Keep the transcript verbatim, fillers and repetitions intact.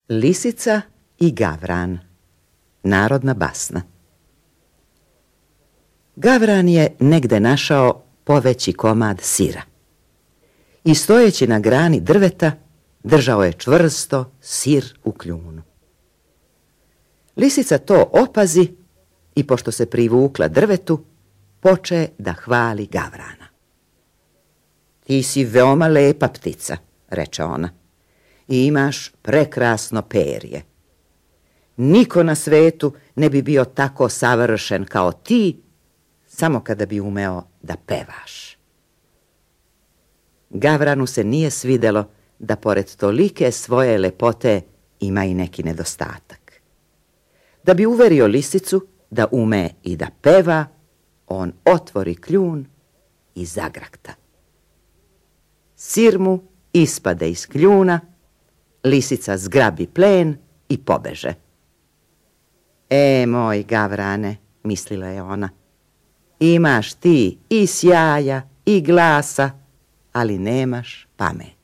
Lisica i Gavran. Narodna basna. Gavran je negde našao poveći komad sira i stojeći na grani drveta držao je čvrsto sir u kljunu. Lisica to opazi i pošto se privukla drvetu, poče da hvali Gavrana. Ti si veoma lepa ptica, reče ona, i imaš prekrasno perje. Niko na svetu ne bi bio tako savršen kao ti, samo kada bi umeo da pevaš. Gavranu se nije svidelo da pored tolike svoje lepote ima i neki nedostatak. Da bi uverio lisicu da ume i da peva, on otvori kljun i zagrakta. Sir mu ispade iz kljuna, lisica zgrabi plen i pobeže. E, moj Gavrane, mislila je ona, imaš ti i sjaja i glasa, ali nemaš pamet.